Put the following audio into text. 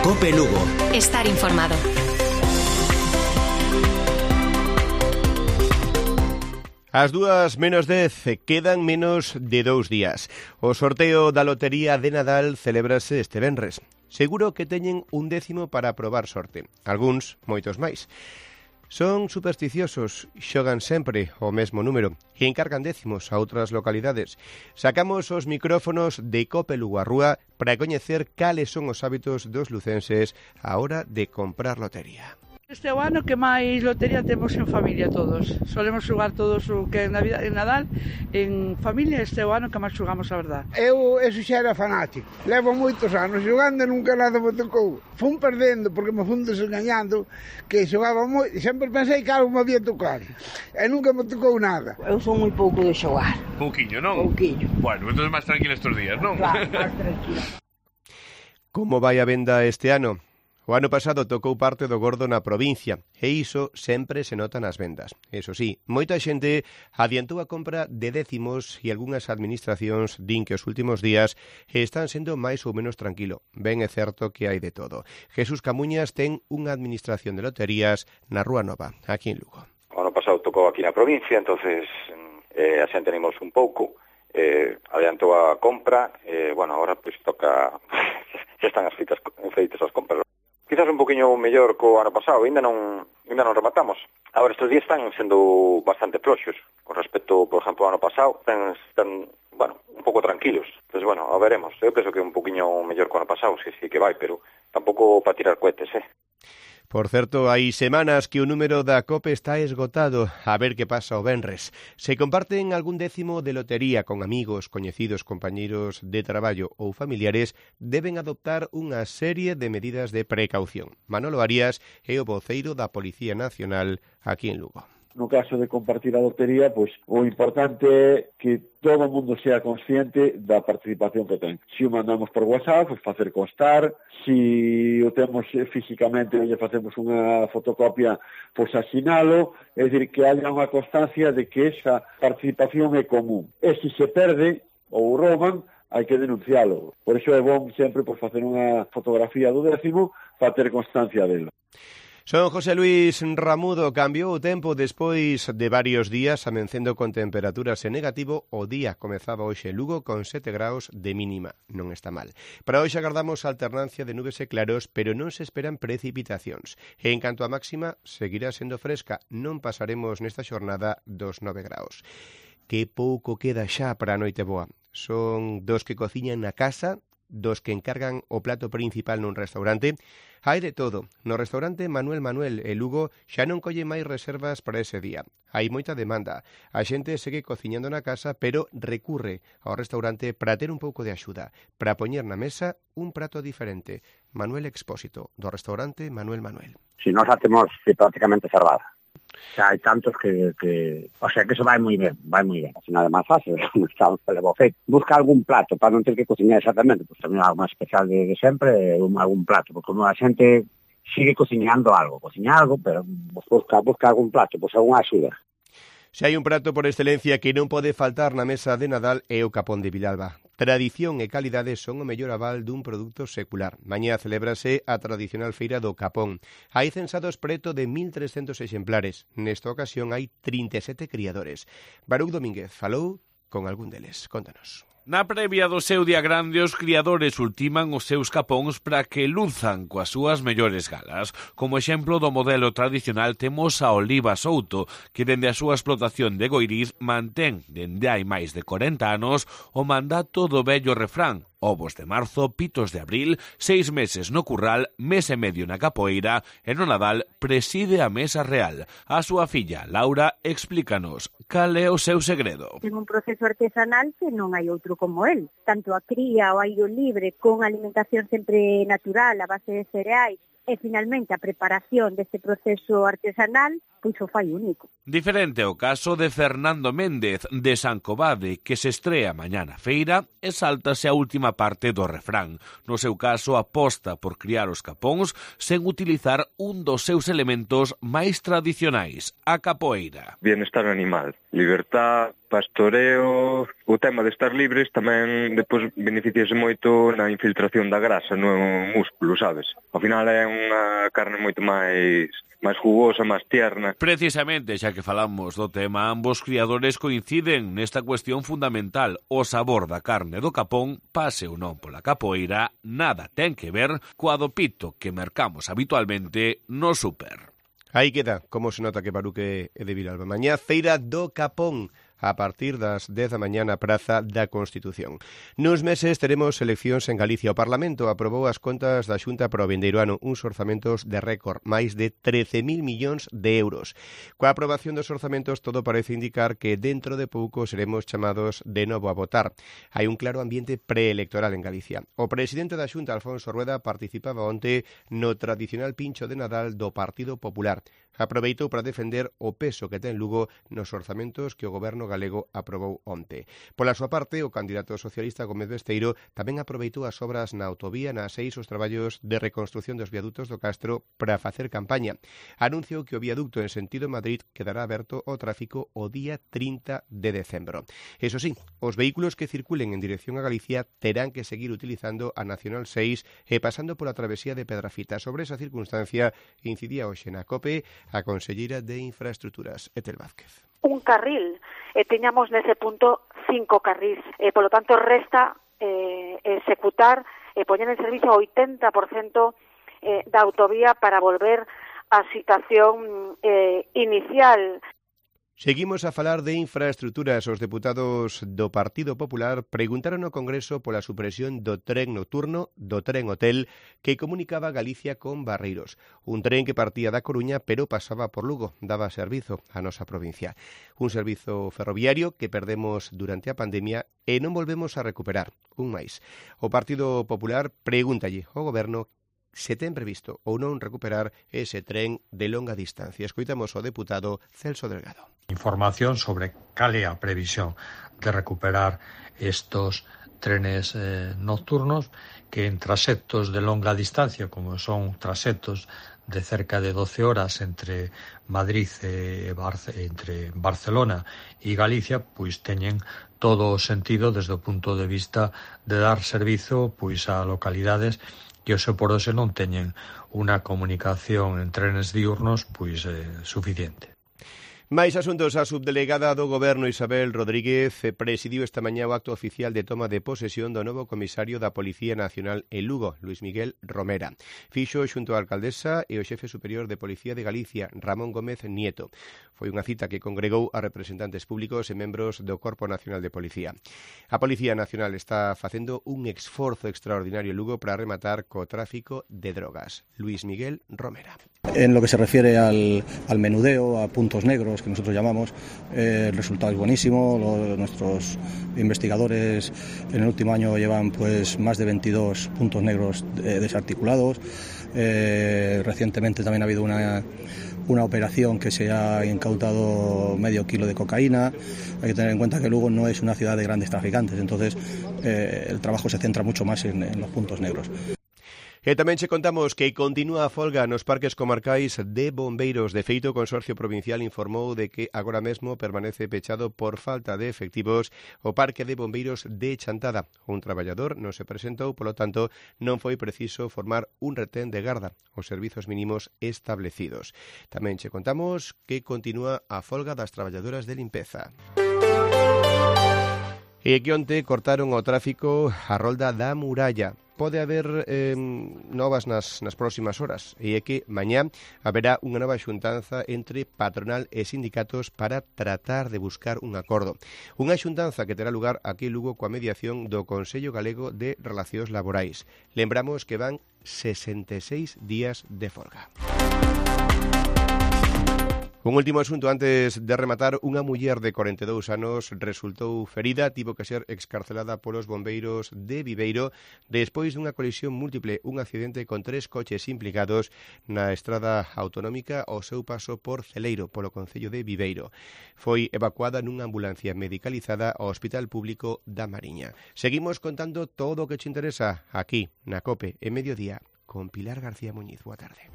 COPE Lugo. Estar informado. As 2:10, quedan menos de 2 días. O sorteo da lotería de Nadal celébrase este venres. Seguro que teñen un décimo para probar sorte. Algúns, moitos máis. Son supersticiosos, xogan sempre o mesmo número e encargan décimos a outras localidades. Sacamos os micrófonos de COPE Lugo á rúa para coñecer cales son os hábitos dos lucenses á hora de comprar lotería. Este é o ano que máis lotería temos en familia todos. Solemos xogar todos o que en Nadal en familia. Este é o ano que máis xogamos, a verdad. Eu eso xa era fanático. Levo moitos anos xogando e nunca nada me tocou. Fun perdendo porque me fun desengañando, que xogaba moito. Sempre pensei que algo me había tocado e nunca me tocou nada. Eu son moi pouco de xogar. Pouquiño, non? Pouquiño. Bueno, entón máis tranquilo estes días, non? Claro, máis tranquilo. Como vai a venda este ano? O ano pasado tocou parte do gordo na provincia e iso sempre se nota nas vendas. Eso sí, moita xente adiantou a compra de décimos e algunhas administracións din que os últimos días están sendo máis ou menos tranquilo. Ben é certo que hai de todo. Jesús Camuñas ten unha administración de loterías na Rúa Nova, aquí en Lugo. O ano pasado tocou aquí na provincia, entonces a xente animous un pouco, adiantou a compra, bueno, agora pois toca, xa están as feitas as compras. Quizás un poquinho mellor co ano pasado, ainda non rematamos. Agora, estes días están sendo bastante floxos con respecto, por exemplo, ao ano pasado. Están bueno, un pouco tranquilos. Entón, bueno, a veremos. Eu penso que un poquinho mellor co ano pasado, si que vai, pero tampouco para tirar cohetes, Por certo, hai semanas que o número da COPE está esgotado. A ver que pasa o venres. Se comparten algún décimo de lotería con amigos, coñecidos, compañeiros de traballo ou familiares, deben adoptar unha serie de medidas de precaución. Manolo Arias é o voceiro da Policía Nacional aquí en Lugo. No caso de compartir a lotería, pois o importante é que todo o mundo sea consciente da participación que ten. Se o mandamos por WhatsApp, pois facer constar. Se o temos físicamente e lle facemos unha fotocopia, pois asinalo. É dicir, que haya unha constancia de que esa participación é común. E se se perde ou rouban, hai que denuncialo. Por iso é bom sempre por facer unha fotografía do décimo para ter constancia delo. Son José Luis Ramudo. Cambiou o tempo despois de varios días amencendo con temperaturas en negativo. O día comezaba hoxe en Lugo con 7 graus de mínima. Non está mal. Para hoxe agardamos alternancia de nubes e claros, pero non se esperan precipitacións. E en canto a máxima, seguirá sendo fresca. Non pasaremos nesta xornada dos 9 graus. Que pouco queda xa para a noite boa. Son dos que cociñan na casa, dos que encargan o plato principal nun restaurante. Hai de todo. No restaurante Manuel e Lugo xa non colle máis reservas para ese día. Hai moita demanda. A xente segue cociñando na casa, pero recurre ao restaurante para ter un pouco de axuda, para poñer na mesa un prato diferente. Manuel Expósito, do restaurante Manuel. Si nós a temos prácticamente cerrada. Xa hai tantos que o sea, que eso vai moi ben. Así nada máis fácil, busca algún plato para non ter que cociñar exactamente, pois tamén algo máis especial de sempre, algún plato, porque como a xente sigue cociñando algo, pero busca algún plato, pois algunha axuda. Se hai un prato por excelencia que non pode faltar na mesa de Nadal é o capón de Vilalba. Tradición e calidade son o mellor aval dun produto secular. Mañá celébrase a tradicional feira do capón. Hai censados preto de 1.300 exemplares. Nesta ocasión hai 37 criadores. Baruch Domínguez falou con algún deles. Contanos. Na previa do seu día grande, os criadores ultiman os seus capóns para que luzan coas súas mellores galas. Como exemplo do modelo tradicional temos a Oliva Souto, que dende a súa explotación de Goiriz mantén, dende hai máis de 40 anos, o mandato do vello refrán: ovos de marzo, pitos de abril, 6 meses no curral, mes e medio na capoeira, e no Nadal preside a mesa real. A súa filla, Laura, explícanos cal é o seu segredo. Ten un proceso artesanal que non hai outro como el. Tanto a cría, o aire libre, con alimentación sempre natural, a base de cereais, e finalmente a preparación deste proceso artesanal, pois o fai único. Diferente o caso de Fernando Méndez, de San Covade, que se estrea mañá na feira e sáltase a última parte do refrán. No seu caso, aposta por criar os capóns sen utilizar un dos seus elementos máis tradicionais, a capoeira. Bienestar animal, libertad, pastoreo, o tema de estar libres tamén depois beneficiase moito na infiltración da grasa no músculo, sabes? Ao final é unha carne moito máis jugosa, máis tierna. Precisamente, xa que falamos do tema, ambos criadores coinciden nesta cuestión fundamental. O sabor da carne do capón, pase ou non pola capoeira, nada ten que ver coa do pito que mercamos habitualmente no súper. Aí queda como se nota que Baruque é de Vilalba. Mañá, feira do Capón, a partir das 10 da mañá na Praza da Constitución. Nuns meses teremos eleccións en Galicia. O Parlamento aprobou as contas da Xunta para o vindeiro ano, uns orzamentos de récord, máis de 13.000 millóns de euros. Coa aprobación dos orzamentos, todo parece indicar que dentro de pouco seremos chamados de novo a votar. Hai un claro ambiente preelectoral en Galicia. O presidente da Xunta, Alfonso Rueda, participaba onte no tradicional pincho de Nadal do Partido Popular. Aproveitou para defender o peso que ten Lugo nos orzamentos que o goberno galego aprobou onte. Pola súa parte, o candidato socialista Gómez Besteiro tamén aproveitou as obras na autovía na 6 os traballos de reconstrución dos viadutos do Castro para facer campaña. Anunciou que o viaducto en sentido Madrid quedará aberto ao tráfico o día 30 de decembro. Eso sí, os vehículos que circulen en dirección a Galicia terán que seguir utilizando a Nacional 6 e pasando pola travesía de Pedrafita. Sobre esa circunstancia incidía hoxe na COPE a conselleira de Infraestructuras, Etel Vázquez. Un carril, teñamos nese punto 5 carrís, polo tanto resta executar e poñer en servicio o 80% da autovía para volver á situación inicial. Seguimos a falar de infraestructuras. Os deputados do Partido Popular preguntaron ao Congreso pola supresión do tren nocturno, do tren hotel, que comunicaba Galicia con Barreiros. Un tren que partía da Coruña, pero pasaba por Lugo, daba servizo á nosa provincia. Un servizo ferroviario que perdemos durante a pandemia e non volvemos a recuperar. Un máis. O Partido Popular pregúntalle ao Goberno se ten previsto ou non recuperar ese tren de longa distancia. Escoitamos ao deputado Celso Delgado. Información sobre cal é a previsión de recuperar estos trenes nocturnos que en traxectos de longa distancia, como son traxectos de cerca de 12 horas entre Madrid entre Barcelona e Galicia, pois teñen todo o sentido desde o punto de vista de dar servizo pois a localidades que hoxe por hoxe non teñen unha comunicación en trenes diurnos pois suficiente. Mais asuntos. A subdelegada do Goberno Isabel Rodríguez presidiu esta mañá o acto oficial de toma de posesión do novo comisario da Policía Nacional en Lugo, Luis Miguel Romera. Fixo xunto á alcaldesa e o xefe superior de Policía de Galicia, Ramón Gómez Nieto. Foi unha cita que congregou a representantes públicos e membros do Corpo Nacional de Policía. A Policía Nacional está facendo un esforzo extraordinario en Lugo para rematar co tráfico de drogas. Luis Miguel Romera. En lo que se refiere al menudeo, a puntos negros que nosotros llamamos, el resultado es buenísimo. Nuestros investigadores en el último año llevan pues más de 22 puntos negros desarticulados. Recientemente también ha habido una operación que se ha incautado medio kilo de cocaína. Hay que tener en cuenta que Lugo no es una ciudad de grandes traficantes, entonces el trabajo se centra mucho más en los puntos negros. E tamén che contamos que continúa a folga nos parques comarcais de bombeiros. De feito, o Consorcio Provincial informou de que agora mesmo permanece pechado por falta de efectivos o parque de bombeiros de Chantada. Un traballador non se presentou, polo tanto, non foi preciso formar un retén de garda os servizos mínimos establecidos. Tamén che contamos que continúa a folga das traballadoras de limpeza. E que onte cortaron o tráfico a rolda da Muralla. Pode haber novas nas próximas horas e é que mañá haberá unha nova xuntanza entre patronal e sindicatos para tratar de buscar un acordo. Unha xuntanza que terá lugar aquí en Lugo coa mediación do Consello Galego de Relacións Laborais. Lembramos que van 66 días de folga. Un último asunto antes de rematar. Unha muller de 42 anos resultou ferida, tivo que ser excarcelada polos bombeiros de Viveiro despois dunha colisión múltiple, un accidente con 3 coches implicados na estrada autonómica ao seu paso por Celeiro, polo concello de Viveiro. Foi evacuada nunha ambulancia medicalizada ao Hospital Público da Mariña. Seguimos contando todo o que te interesa aquí na COPE en Mediodía con Pilar García Muñiz. Boa tarde.